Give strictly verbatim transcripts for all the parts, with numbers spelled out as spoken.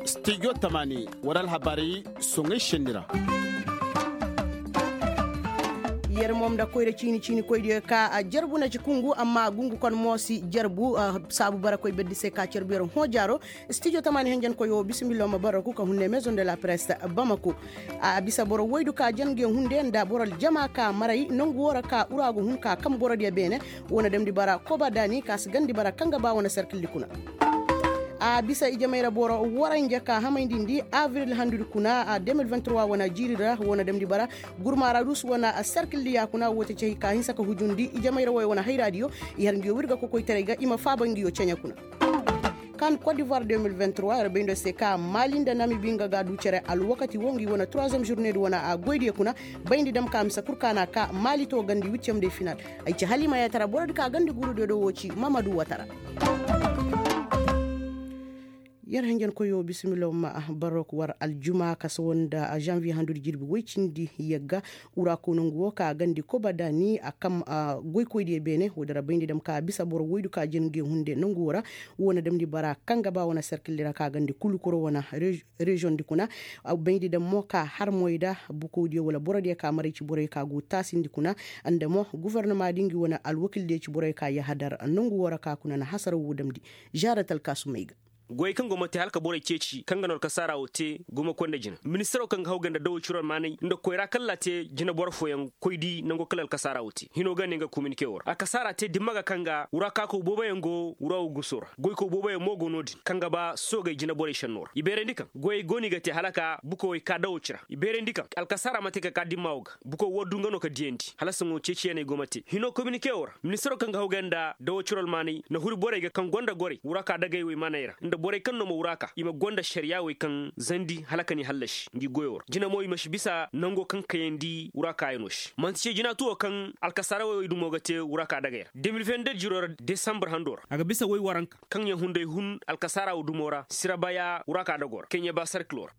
Studio tamani wala alhabaari soŋay senni ra. Yer mo nda koyra ciini ciini koydiyo ka a jarbu na ci kungu amma gungu kon mo si jarbu. Saabu bara koy berdi se ka carbu yer hõ jaaro. Studio tamani henjenkoyo bisimillo ma bara ku ka hunne maison de la presse bamako. A bisa boro woydu ka jen nge hunde nda boro aljama ka maray nangu wo ra ka ura go hun ka kam borodiyo beene. Wo na damndi bara koba daani ka si gandi bara kaŋ ga ba wane serkildi kuna. A bisa ijamay ra boro waranja ka hamayndi ndi avril handudi kuna a deux mille vingt-trois wane jiiri ra wo na damndi bara gurma ra dus wane serkildi ya kuna wo te cey ka hinsa ka hujundi ijamay ra wo wane hayraadiyo. I har ngiyo wirga kokoytaray ga i ma faaba ngiyo ceɲe kuna. Kan kot divoir deux mille vingt-trois yer bayndo se ka maali nda namibi nga ga du cere alwakati wo ngi wane troisième journée di wane a goydiyo kuna. Bayndi dam ka mise kul ka na ka maali to gandi wiccem de final. Ay ci halima yatara borodi ka gandi gurudiyo do wo ci mamadu watara. Yer henjenkoyo bisimillo ma barok war aljuma ka sawa nda janvier handudi jirbi woy cindi yagga. Ura ko nangu wo ka gandi koba daani a kam goykoydiyo beene wo dira bayndi dam ka bisa boro woydu ka jin nge hunde nangu wo ra. Wo na damndi bara kaŋ ga ba wane serkildi ra ka gandi kulukuro wane reziyoŋ di kuna. Bayndi dam mo ka har moy da bukodiyo wala borodiyo ka maray ci boroyo ka go taasindi kuna. Nda mo gofornama di ngi wane alwakildiyo ci boroyo ka yahadar nangu wo ra ka kuna na hasara wo damndi. Zaara talkaasumey ga. Goyey kaŋ go ma te hala ka borey ceeci kaŋ ga no alkasaara wo te gumo koy nda jina ministiro kaŋ ga haw ga nda dawo ciro almaanay nda koyra kaŋ laa te jinaboro fooyaŋ koy di nango kala alkasaara wo te hino ga ne nga kominike wo ra alkasaara te dimma ga kaŋ ga wura kaako booboyaŋ go wura wo guso ra goyko booboyaŋ mo go no-din kaŋ ga ba soogey jinaborey senno ra i beerandi kaŋ goyey go no i ga te hala ka bukawey ka dawo cira i beerandi kaŋ alkasaara ma te ka ka dimma wo ga buko wo du nga no ka diyandi hala saŋo ceeciyaney go ma te hino kominike wo ra ministiro kaŋ ga haw ga nda dawo ciro almaanay na huri borey ga kaŋ gonda gorey wura ka dagey wey maney ra nda borey kaŋ no ma wura ka i ma gonda ašariya wey kaŋ zandi hala ka ni hallasi ngi goyo ra jina mo i ma si bisa nango kaŋ kayandi wura ka yaŋo se manti ce jina tuwo kaŋ alkasaara wey dumo ga te wura ka dagey ra deux mille vingt-deux jiro ra desambar hando ra a ga bisa wey waranka kaŋ yaŋ hunday hun alkasaara wo dumo ra sirabaya wura ka dago ra keɲe ba sarkilo ra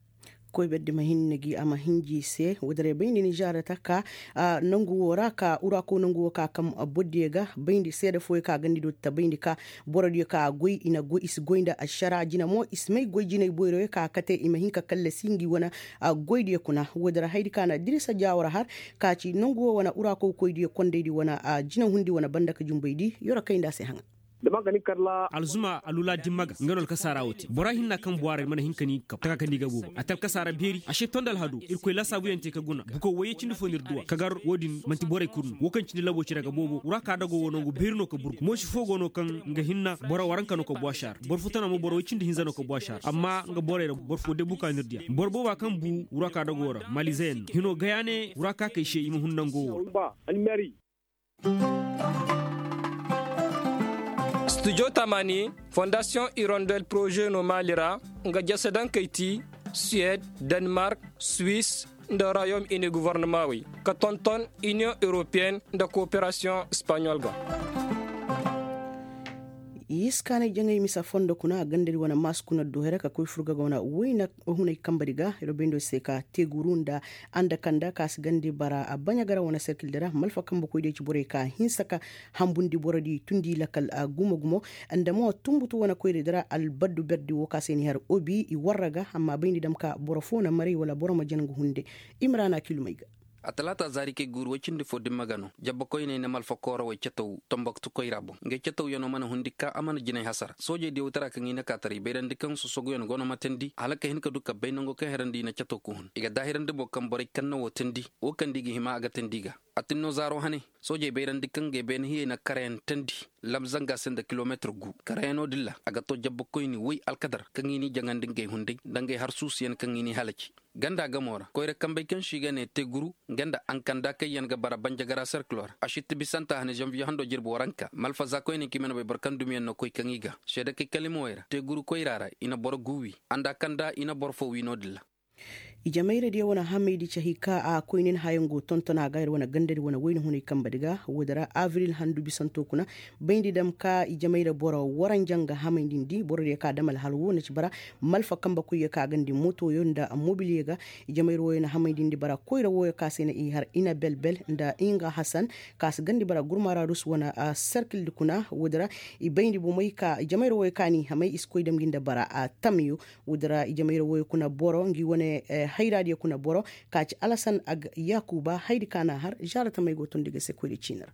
koy berdi ma hinne gi a ma hinji se wadaray bayndi ni zaara taka nangu wo ra ka ura ko nangu wo ka kam bordiyo ga bayndi seeda fooyo ka gandi do ta bayndi ka borodiyo ka goy i na goy i si goy nda ašara jina mo i si may goy jinay boyroyo ka kate i ma hin ka kallasi ngi wane goydiyo kuna wadara haydi ka na dirisa jaawara har ka ci nangu wo wane ura ko koydiyo kondaydi wane jina hundi wane banda ka jumbaydi yoro kay nda a se haŋa alzuma alula dimma ga nga no alkasaara wo te bora hinna kaŋ buwaaray mana hin ka ni kab taka ka ni ga boobo a te alkasaara beeri a se tondi alhado irkoy laasaabuyaŋ te ka guna buko wayye cindi fo no ir duwa kagar wo-din manti borey kul no wo kaŋ cindi labo cire ga boobo wura ka dago wo nangu beeri no ka burgu moosi fo go no kaŋ nga hinna boro waranka no ka bu a se a ra boro fo tana mo boro way cindi hinza no ka bu a se a ra amma nga borey ra boro fo debu ka no ir diya boro booba kaŋ bu wura ka dago ra malizeyaŋ no hino gaya ne wura ka kay se i ma hun nango wo ra studio tamani fondasiyoŋ irondel poroze no maali ra nga jasadankey ti suwed, denmark, swis, nda royaume uni govornamaawey ka tonton iniyoŋ europeyen nda kooperasiyoŋ espaɲol ga. Yiskaanay jaŋay misa fondo kuna a gandari wane maas kuna duhera ka koy furga ga wane wayna hunay kambari ga iro bayndo se ka teguru nda anda kanda ka si gandi bara a baɲa gara wane serkil dira malfa kamba koy de ci borey ka hinsa ka hambundi borodi tundi lakal gumo gumo nda mo tumbutu wane koyri dira albaddu berdi wo ka se ni har obi i warra ga amma bayndi dam ka boro fo na maray wala boro ma jangu hunde. Imrana kilumay ga. A talaata zaari kay guuru way cindi fo dimma ga no jabba koyney na malfa koorawey cataw tomboktu koyra boŋ ngey catawyanoo mana hundi ka a mana jinay hasara soojey diyaw tara kaŋ i na ka taray bayrandi kaŋ sosoguyan go no ma teendi hala ka hin ka du kabbay nango kaŋ herandi i na cataw ka hun i ga daahirandi boŋ kaŋ borey kaŋ na woo teendi woo kaŋ da i ga hima a ga teendi i ga. A tin no zaaro hane soojey bayrandi kaŋ ngey beene hiyey na karayaŋ teendi lam zanga se nda kilometir gu karayaŋo din ra a ga to jabba koyni way alkadar kaŋ i n'i jaŋandi ngey hunday nda ngey har suusuyaŋ kaŋ i n'i halaci. Ganda gamo ra koyra kambey kaŋ se i ga ne teguru nga nda ankanda kaŋ yaŋ ga bara banjagara serkilo ra a sitti bisanta hane zanviye hando jirbi waranka malfaza koyne kaŋ i mana bay boro kaŋ dumiyaŋ na koy kaŋ i ga seedakey kalimawey ra teguru koyra ra i na boro gu wi anda kanda i na boro fo wi no-din ra. Ijemayradiyo wane hamaydi cahi ka a koynin hayaŋ go tonton a ga ir wane gandadi wane wayna hunay kambadi ga woodi ra abril handu bisanto kuna. Bayndi dam ka ijemeyra boro waranja nga hamaydindi borodiyo ka dam alhal wo na ci bara malfa kambe koyyo ka gandi motoyo nda mobilyo ga. Ijemeyra wooyo na hamaydindi bara koyra wooyo ka se na i har ina belbel nda inga hasan ka si gandi bara gurmara rus wane serkildi kuna woodi ra. I bayndi bomey ka ijemeyra wooyo ka n'i hamay i si koy dam gi nda bara tamyo. Woodi ra ijemayroo wooyo kuna boro ngi wane hayraadiyo kuna boro ka ci alasan ag yaakuba haydi ka n'a har zaara tamey go tondi ga se koyra ciini ra.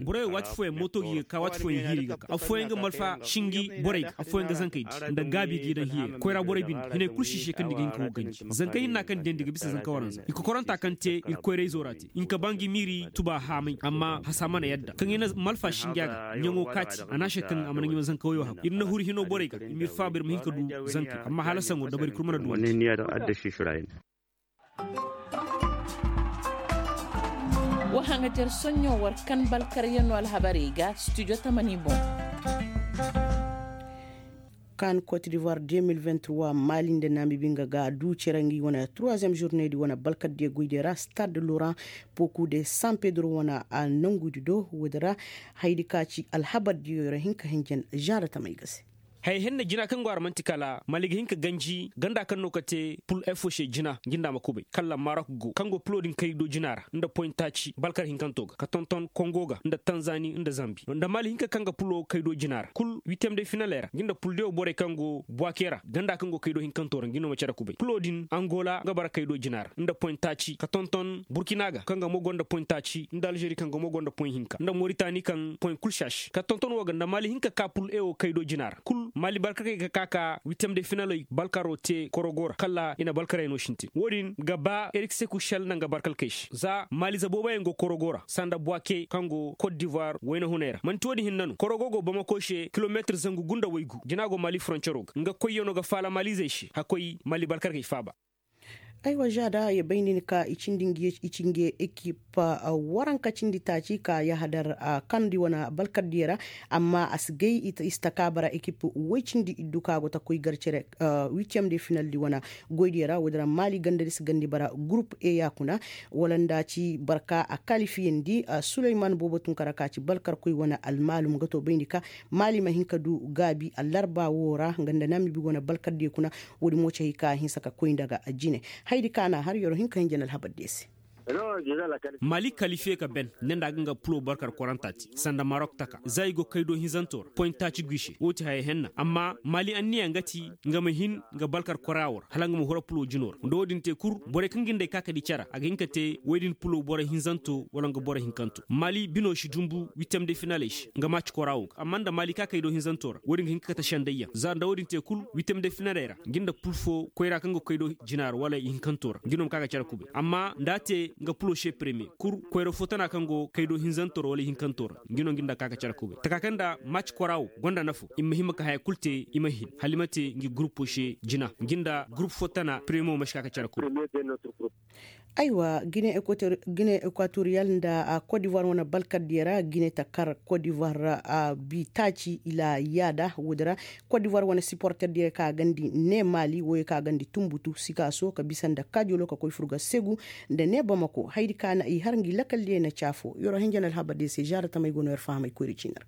Borey waati fooyaŋ mooto gi ga ka waati fooyaŋ hiiri ga ka affooyaŋ ga malfa sinji borey ga affooyaŋ ga zankey di nda gaabi ga i daŋ hiyey ra koyra borey binde hinay kul si i se kaŋ ni ga hin ka go ganji zanka hinna kaŋ diyandi ga bisa zanka waranza i kokoranta kaŋ te ir koyra-izoo ra te i nka ba ngi miiri tuba haamay amma hasa mana yadda kaŋ i na malfa sinja ga ɲaŋo kaati a na a se kaŋ a mana ɲaŋo zanka woyoo hagu ir na huru hinoo borey ga i ma ir faaba ir ma hin ka du zankey amma hala saŋo dabari kul mana du wande. Wa haŋa jar soɲɲo war kan balkaryanoo alhabarey ga studio tamani boŋ. Kan cote d'ivoire deux mille vingt-trois maali nda naamibi nga ga du cere ngi wane troisième journée di wane balkardiyo goydiyo ra stade laurent poku de san pedro wane a nangudi do woodi ra. Haydi ka ci alhabardiyo ra hin ka hinjan zaara tamey ga se. Haya hinne jina kaŋ go a ra man'ti kala mali ga hin ka ganji ganda kaŋ no ka te pul efo se jina ngi nda a ma kubay kala marok go kaŋ go pulo din kaydo jina ra nda poyintaaci balkar hinkanto ga ka tonton kongo ga nda tanzani nda zambi nda mali hinka kaŋ ga pulo kaydo jina ra kul witiyem de finaley ra ngi nda pul diyo borey kaŋ go buwake ra ganda kaŋ go kaydo hinkanto ra ngi no ma care kubay pulo din angola nga bara kaydo jina ra nda poyintaaci ka tonton burkina ga kaŋ ga mo gonda poyintaaci nda alžeri kaŋ ga mo gonda poy hinka nda moritani kaŋ poy kul saaši ka tonton wo ga nda mali hinka ka pul ewo kaydo jina ra kul mali balkarey ga ka ka witiyem de finaley balkaro te korogo ra kala i na balkarey no sintin wo-din ga ba erikse kušel nda nga balkarkey se za mali zaboobayaŋ go korogo ra sanda buwake kaŋ go kot divoir wayna hunay ra man'ti wo-din hinne no korogo go bamako se kilometir zangu gu nda waygu jina go mali foroncero ga nga koyyaŋo ga faala malizey se hakkoy mali balkarkey faaba. Aywa žaada ya bay nin ka i cindi ngi ekip waranka cindi taaci ka yahadar kandi wane balkardiyo ra. Amma a si gay i si taka bara ekip woy cindi iddu ka go ta koy gar cere witiyem de finaldi wane goydiyo ra woodi ra maali gandadi si gandi bara gurup e yaakuna wala nda ci barka a kalifiyandi suleyman boobo tunkara ka ci balkarkoy wane almaalum ga to bayndi ka maali ma hin ka du gaabi allarba woo ra nga nda namibi wane balkardiyo kuna. Woodi mo ci hay ka a hinsa ka koy nda ga jine. Hayadi ka na har yoro hin ka hin jana alhabar diyo se. Mali kalifiye ka ben ne nda a ga nga pulo balkar koranta te sanda marok taka za i go kaydo hinzanto ra poyinta ci guy se woo ti haya henna amma mali anniya nga ti nga ma hin nga balkar kora woo ra hala nga ma hura pulo jino ra nda woo din te kul borey kaŋ ga nda ay ka ka di cara a ga hin ka te woy din pulo boro hinzanto wala nga boro hinkanto mali bino si dumbu witiyem de finaley se nga maci kora woo ga amma nda mali ka kaydo hinzanto ra woo din ga hin ka kate sendayyaŋ za nda woo din te kul witiyem de finaley ra ngi nda pul foo koyra kaŋ ga koy do jina ra wala ihinkanto ra ngi no ma ka ga care kubay amma nda a te nga pulo se premiye kul koyra foo tana kaŋ go koy do hinzanto ra wala ihinkanto ra ngi no ngi nda ka ga care kubay taka kaŋ nda maci kora woo gonda nafo i ma hima ka haya kul te i ma hin hala i ma te ngi gurupo se jina ngi nda gurup foo tana premiye mo ma si ka ga care kubay. Aywa gine ekwatoriyal nda kot divoir wane balkardiyo ra gine ta kar kot divoir ra bi taaci ila yaada woodi ra. Kot divoir wane siporterdiyo ka gandi ne maali wooyo ka gandi tunbutu sikaaso ka bisa nda kaajolo ka koy furga segu nda ne bamako hayadi ka na i har ngi lakaldiyo na caafo yoro henjen alhabardiyo se zaara tamey go no yer fahamay koyri ciini ra.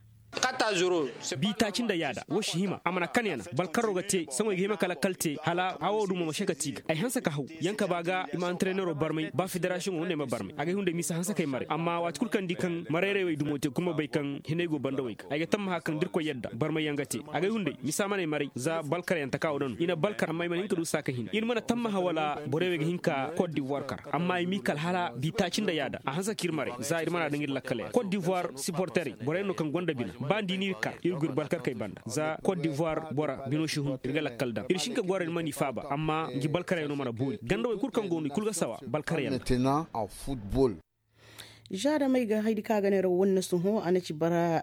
Bi taaci nda yaada woo si hima a mana kan yana balkarro ga te saŋo i ga hima ka lakkal te hala hawo dumo ma se ka ti ga ay hanse ka haw yaŋ ka ba ga i ma anterenero barmay ba federasiyoŋo nda ay ma barmay agay hunday m'i si hanse kay maray amma waati kul kaŋ di kaŋ marayray way dumo te kul ma bay kaŋ hinay go banda way ga ay ga tammaha kaŋ da irkoy yadda barmay yaŋ ga te agay hunday m'i si a manay maray za balkar yaŋ taka wo da no i na balkar amma i mana hin ka du saaka hina ir mana tammaha wala borey wey ga hin ka kot divoir kar amma i m'i kal hala bi taaci nda yaada a hanse ka ir maray za ir mana daŋ ir lakkaley ra kot divoir siporterey borey no kaŋ gonda bina ba nda i n'ir kar ir go ir balkarkey banda za kot divoir bora bino si hun ir ga lakkal daŋ ir si hin ka goro ir mana i faaba amma ngi balkarey no mana boori gandawey kul kaŋ go no i kul ga sawa balkarey yaŋ ra. Zaada may ga hayadi ka ga neera wanne sohõ a na ci bara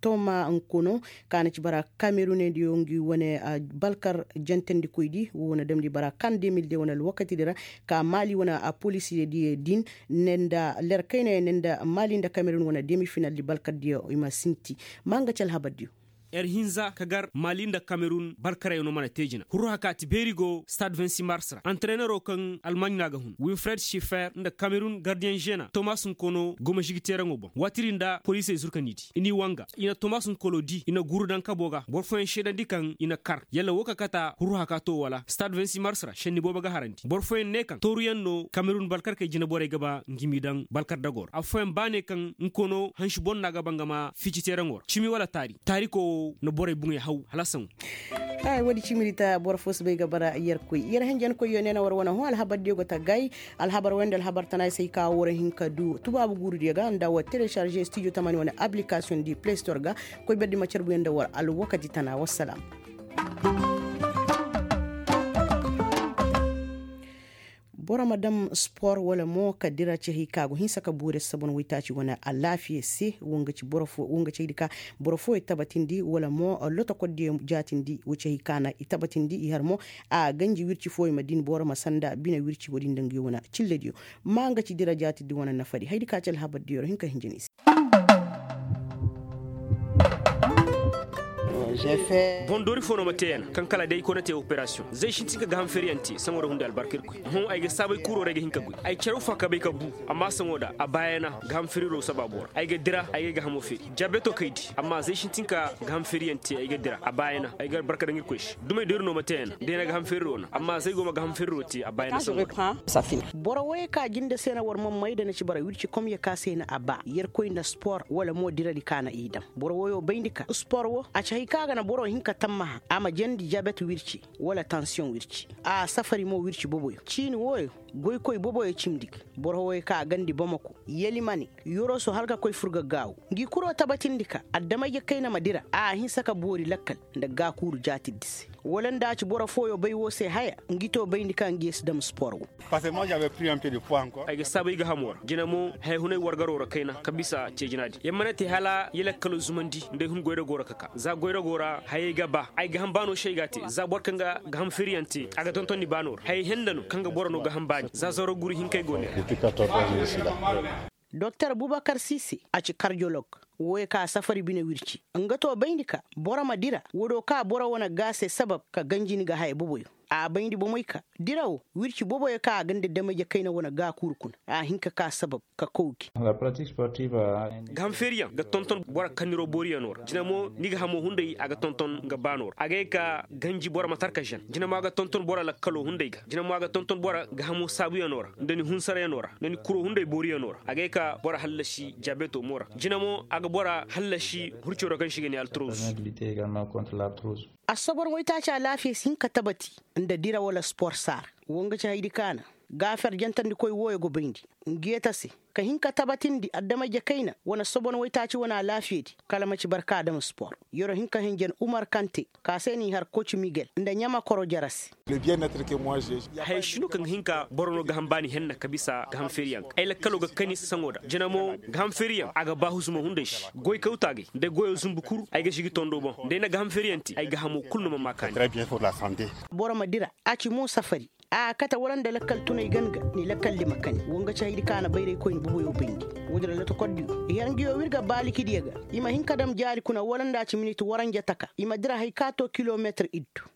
toma nkono ka a na ci bara kamerunediyo ngi wane balkar jantandikoydi wo na damndi bara kan de mil de wane alwakatidi ra ka maali wane poliisidiyo din ne nda ler kayna yaŋ ne nda maali nda kamerun wane demi finaldi balkardiyo i ma sinti. Ma nga ci alhabardiyo. Yer hinza ka gar mali nda kamerun balkarayano mana te jina hurru hakaati beeri go stade vingt-six mars ra antrenero kaŋ almaaɲ no a ga hun winfred shifer nda kamerun gardiyen žena tomas nkono goma žigiteeraŋo boŋ waati din nda poliisey zurkandiidi i n'i wanga i na tomas nkolo di i na guru daŋ kabo ga boro fooyaŋ seedandi kaŋ i na kar yalla wo ka kata hurru hakato wala stade vingt-six mars ra senni boobo ga harandi boro fooyaŋ ne kaŋ tooruyaŋ no kamerun balkarkey jinaborey ga ba ngi m'i daŋ balkar dago ra affooyaŋ ba ne kaŋ nkono hansi boŋ no a ga ba nga ma fici teeraŋo ra cimi wala taari taariko wo na borey buŋey haw hala saŋo. Ay wo- din cimiri ta boro fo si bay ga bara yerkoy yer henjenkoy yo ne na war wane hõ alhabar diyo go ta gay alhabar wayanda alhabar tana ay se ay ka war hin ka du tubaabu guuru diyo ga nda war telecharge studio tamani wane application di play store ga koy berdi ma carbuyaŋ nda war alwakati tana wassalam. Boro ma daŋ spor wala mo ka dira cehey ka go hinsa ka boori sabon waytaaci wane alaafiya se wo nga ci boro fo wo nga cehey di ka boro fooyey tabatindi wala mo lotokol diyo jaatindi wo cehey ka na i tabatindi i har mo a ganji wirci fooyey ma din boro ma sanda bine wirci wo- din daŋ nga yo wane cillediyo ma nga ci dira jaatindi wane nafadi haydi ka ci alhabar diyo ra hin ka hinjini se. Boŋ doori fo no ma te yana kaŋ kala day koy na te operasiyoŋ zay sintin ka gaaham feeriyaŋ te saŋo da hundi albarka irkoy. Hõ ay ga saabay kuuro ra ay ga hin ka goy ay care wo fa ka bay ka bu. Amma saŋo da a baayana gaaham feeriro saba boro ay ga dira ay ga ay gaahamo feeri jabeto kay di amma zay sintin ka gaaham feeriyaŋ te ay ga dira a baayana ay ga albarka daŋ irkoy se dumey doori no ma te yana da ay na gaaham feeriro na amma zay go ma gaaham feeriro te a baayana saŋo da. Boro woyey ka jinde se na war mammay da na ci bara wirci komye ka se na a ba yerkoy nda spor wala mo diradi ka na i daŋ boro woyo bayndi ka spor wo a ci hay ka ga na boro hin ka tammaha a ma jandi jabet wirci wala tansiyoŋ wirci a safari mo wirci boboyo ciini woyo goykoy boboyo cimdi ga boro woyo ka a gandi bamako yelimane yoroso hala ka koy fur ga gaawu ngi kuro tabatindi ka adamay-je kayna ma dira a a hinsa ka boori lakkal nda gaakuuru jaatiddi se wala nda a ci boro fooyo bay woo se haya ngi to bayndi ka ngi ye si dam spor wo. Ay ga saabay gahamo ra jina mo haya hunay wargaroo ra kayna ka bisa ceejinaadi yer mana te hala yer lakkalo zumandi nda ay hun goyrago ra ka ka za goyrago ra hayey ga ba ay gaham baano se ay ga a te za boro kaŋ ga gaham firiyaŋ te a ga tontondi baano ra hayey henda no kaŋ ga boro no gaham baani za zaro guru hinkey go ne ra. Doktor bubakar sise a ci kardiyolog wooyo ka safari bine wirci nga to bayndi ka boro ma dira woodiyo ka boro wane ga se sabab ka ganji ni ga haya boboyo a bayndi bomey ka dira wo wirci boboyo ka a ganda damey-je kayna wane gaakuuru kuna a hin ka ka sabab ka kaw gi. Gaham feeriyaŋ ga tonton boro kanniroo booriyanoo ra jina mo ni gahamo hunday a ga tonton nga baanoo ra a ga ye ka ganji boro ma tarka žen jina mo a ga tonton boro lakkaloo hunday ga jina mo a ga tonton boro gahamo saabuyanoo ra nda ni hunsarayanoo ra nda ni kuroo hunday booriyanoo ra a ga ye ka boro hallasi jabeetoo mo ra jina mo a ga boro hallasi hurciroo kaŋ se i ga ne altroz. Asobor waytaaci alaafiya si hin ka tabati nda dira wala spor saara wo nga ci haydi kaana gaafer jantandikoy wooyo go bayndi ngeeta se ka hin ka tabatindi adama-ije kayna wane sobon waytaaci wane alaafiyadi kala ma ci barka adama spor yer'o hin ka hinjan umar kante ka se n'i har koci migel nda ɲamakoro jara se. Haya si no kaŋ ga hin ka boro no gaham baani henna ka bisa gaham feeriyaŋ ga ay lakkaloo ga kani saŋo da jina mo gaham feeriyaŋ a ga ba husumo hunday se goy kawtaagay nda goyoo zumbu kul ay ga sigi tondo boŋ nda ay na gaham feeriyaŋ te ay gahamo kul no ma maa kaani. Boro ma dira a ci mo safari a kate wala nda lakkal tunay gan ga ni lakkal lima kani wo nga ci haydi ka na bayraykoyni boboyo bayndi. Wo-din ra lotokordiyo i har nguyo w'ir ga baalikidiyo ga i ma hin ka dam jaari kuna wala nda a ci minit waranja taka i ma dira hay ka to kilometir iddu.